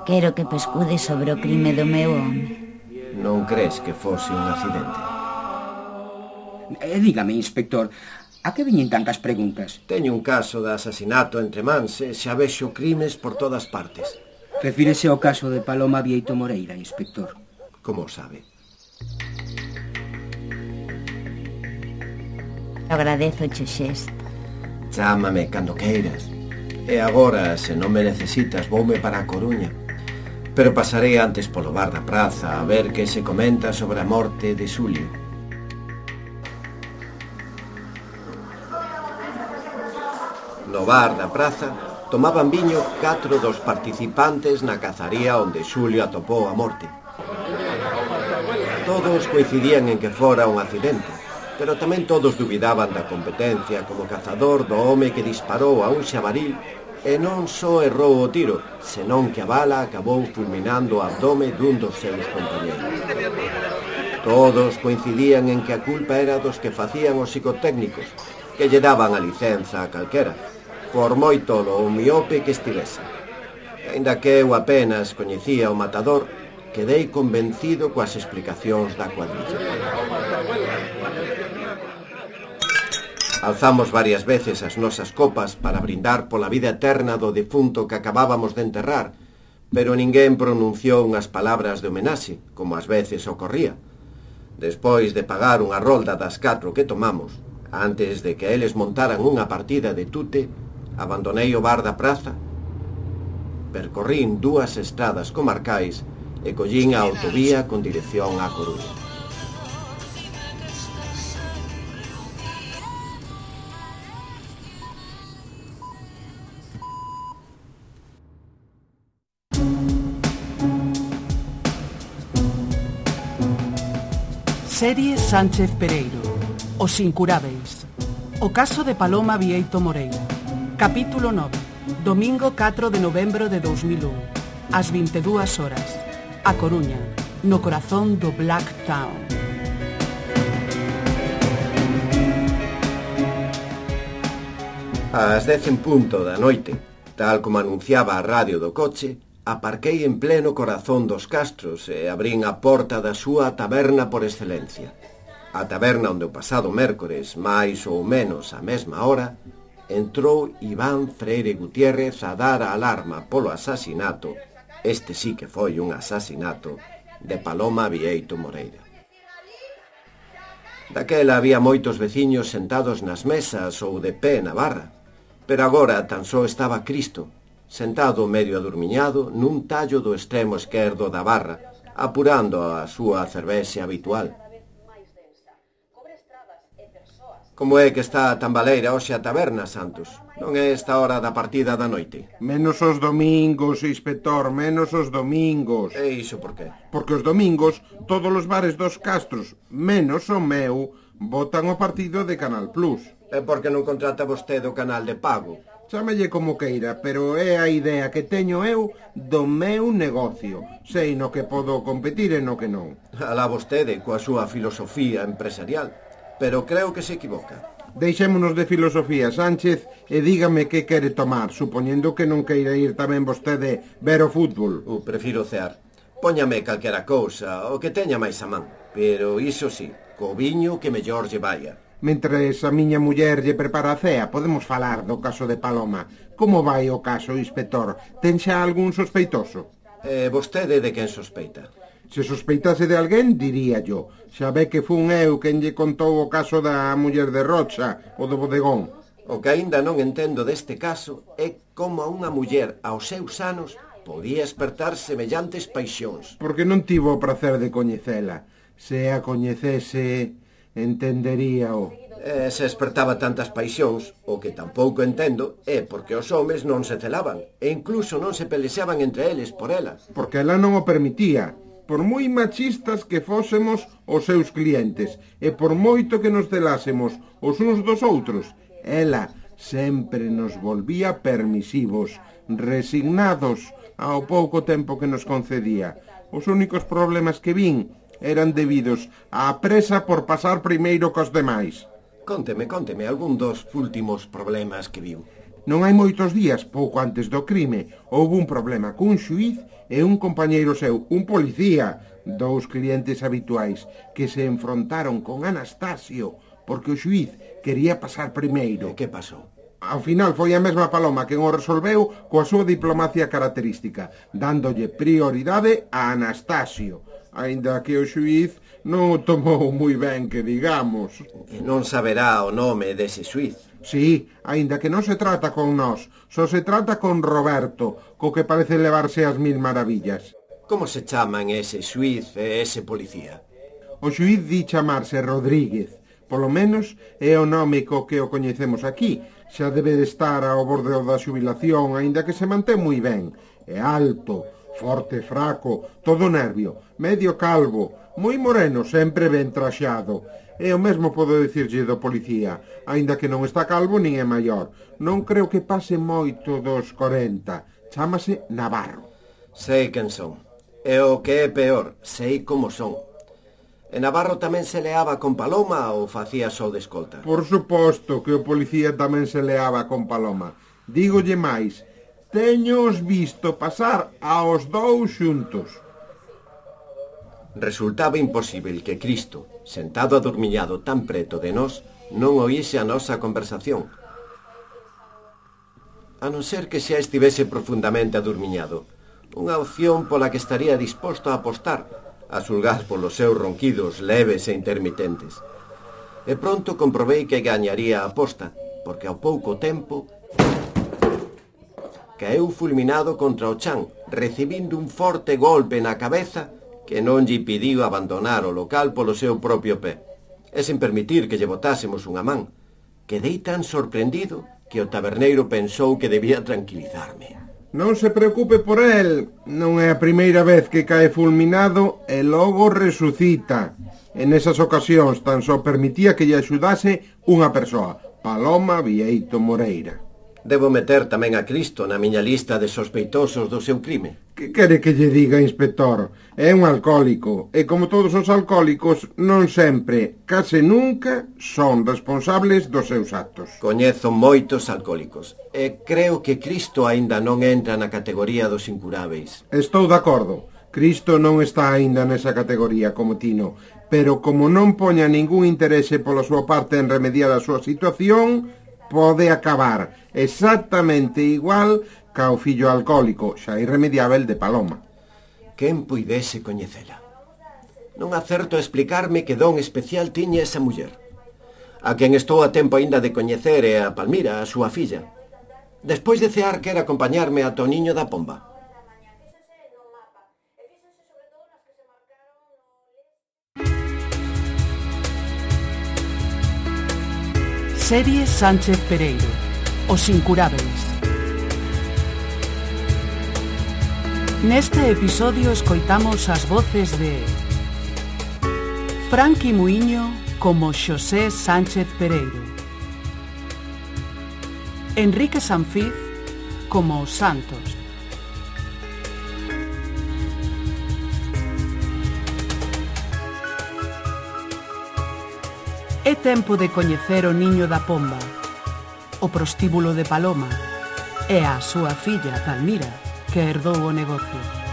Quero que pescude sobre o crime do meu home. Non crees que fose un accidente? Dígame, inspector, a que veñen tantas preguntas? Teño un caso de asasinato entre mans e xa vexo crimes por todas partes. Refírese ao caso de Paloma Vieito Moreira, inspector. Como o sabe? Agradezo che xesto. Chámame cando queiras. E agora, se non me necesitas, voume para a Coruña. Pero pasarei antes polo bar da praza a ver que se comenta sobre a morte de Xulio. No bar da praza tomaban viño 4 dos participantes na cazaría onde Xulio atopou a morte. Todos coincidían en que fora un accidente, pero tamén todos dubidaban da competencia como cazador do home que disparou a un xabaril e non só errou o tiro, senón que a bala acabou fulminando o abdome dun dos seus compañeros. Todos coincidían en que a culpa era dos que facían os psicotécnicos, que lle daban a licenza a calquera, por moi tolo ou miope que estivese. Ainda que eu apenas coñecía o matador, quedei convencido coas explicacións da cuadrilla. Alzamos varias veces as nosas copas para brindar pola vida eterna do defunto que acabábamos de enterrar, pero ninguén pronunciou unhas palabras de homenaxe, como ás veces ocorría. Despois de pagar unha rolda das 4 que tomamos, antes de que eles montaran unha partida de tute, abandonei o bar da praza, percorrín 2 estradas comarcais e collín a autovía con dirección á Coruña. Serie Sánchez Pereiro. Os incurábeis. O caso de Paloma Vieito Moreira. Capítulo 9. Domingo 4 de novembro de 2001. Ás 22 horas. A Coruña, no corazón do Black Town. Ás 10 en punto da noite, tal como anunciaba a radio do coche, aparquei en pleno corazón dos Castros e abrín a porta da súa taberna por excelencia. A taberna onde o pasado mércores, máis ou menos a mesma hora, entrou Iván Freire Gutiérrez a dar a alarma polo asasinato, este sí que foi un asasinato, de Paloma Vieito Moreira. Daquela había moitos veciños sentados nas mesas ou de pé na barra, pero agora tan só estaba Cristo, sentado medio adormiñado nun tallo do extremo esquerdo da barra, apurando a súa cervexe habitual. Como é que está tan baleira hoxe a taberna, Santos? Non é esta hora da partida da noite? Menos os domingos, inspector, menos os domingos. E iso por qué? Porque os domingos todos os bares dos Castros, menos o meu, botan o partido de Canal Plus. É porque non contrata vostede o canal de pago. Chámelle como queira, pero é a idea que teño eu do meu negocio. Sei no que podo competir e no que non. Alá vostede coa súa filosofía empresarial, pero creo que se equivoca. Deixémonos de filosofía, Sánchez, e dígame que quere tomar, supoñendo que non queira ir tamén vostede ver o fútbol. Prefiro cear. Póñame calquera cousa, o que teña máis a man. Pero iso sí, co viño que mellor lle vaya. Mentres a miña muller lle prepara a cea, podemos falar do caso de Paloma. Como vai o caso, inspector? Ten xa algún sospeitoso? Vostede de quen sospeita? Se sospeitase de alguén, diría yo. Xa ve que fun eu quen lle contou o caso da muller de Rocha, o do bodegón. O que aínda non entendo deste caso é como a unha muller aos seus anos podía espertar semellantes paixóns. Porque non tivo o prazer de coñecela. Se a coñecese, entenderíao. Se espertaba tantas paixóns, o que tampouco entendo é porque os homes non se celaban e incluso non se pelexaban entre eles por ela. Porque ela non o permitía. Por moi machistas que fósemos os seus clientes e por moito que nos celásemos os uns dos outros, ela sempre nos volvía permisivos, resignados ao pouco tempo que nos concedía. Os únicos problemas que vin eran debidos á presa por pasar primeiro cos demais. Cónteme algún dos últimos problemas que viu. Non hai moitos días, pouco antes do crime, houve un problema cun xuíz e un compañeiro seu, un policía, dous clientes habituais, que se enfrontaron con Anastasio porque o xuíz quería pasar primeiro. E que pasou? Ao final foi a mesma Paloma quen o resolveu coa súa diplomacia característica, dándolle prioridade a Anastasio, aínda que o xuíz non o tomou moi ben, que digamos. E non saberá o nome dese xuíz. Sí, aínda que non se trata con nós, só se trata con Roberto, co que parece levarse as mil maravillas. Como se chaman ese xuíz e ese policía? O xuíz di chamarse Rodríguez, polo menos é o nome co que o coñecemos aquí. Xa debe de estar ao borde da xubilación, aínda que se mantén moi ben. É alto, forte, fraco, todo nervio, medio calvo, moi moreno, sempre ben traxado. E o mesmo podo dicirlle do policía, aínda que non está calvo nin é maior. Non creo que pase moito dos 40. Chámase Navarro. Sei quen son. E o que é peor, sei como son. E Navarro tamén se leaba con Paloma ou facía só de escolta? Por suposto que o policía tamén se leaba con Paloma. Dígolle máis, teños visto pasar aos dous xuntos. Resultaba imposible que Cristo, sentado adormiñado tan preto de nós, non oíse a nosa conversación. A non ser que xa estivese profundamente adormiñado, unha opción pola que estaría disposto a apostar, a xulgar polos seus ronquidos leves e intermitentes. E pronto comprobei que gañaría a aposta, porque ao pouco tempo caeu fulminado contra o chan, recibindo un forte golpe na cabeza que non lle pediu abandonar o local polo seu propio pé, e sen permitir que lle botásemos unha man. Quedei tan sorprendido que o taberneiro pensou que debía tranquilizarme. Non se preocupe por el, non é a primeira vez que cae fulminado e logo resucita. En esas ocasións tan só permitía que lle axudase unha persoa, Paloma Vieito Moreira. Debo meter tamén a Cristo na miña lista de sospeitosos do seu crime. Que quere que lle diga, inspector? É un alcohólico, e como todos os alcohólicos, non sempre, case nunca, son responsables dos seus actos. Coñezo moitos alcohólicos, e creo que Cristo aínda non entra na categoría dos incuráveis. Estou de acordo. Cristo non está aínda nesa categoría como Tino, pero como non poña ningún interese pola súa parte en remediar a súa situación, pode acabar exactamente igual ca o fillo alcohólico, xa irremediável de Paloma. Quen puidese coñecela? Non acerto a explicarme que don especial tiña esa muller. A quen estou a tempo aínda de coñecer é a Palmira, a súa filla. Despois de cear quer acompañarme a Toniño da Pomba. Serie Sánchez Pereiro, Os Incurábeis. Neste episodio escoitamos as voces de Franqui Muiño como Xosé Sánchez Pereiro, Enrique Sanfiz como Santos, É tempo de coñecer o niño da Pomba, o prostíbulo de Paloma e a súa filla, Palmira, que herdou o negocio.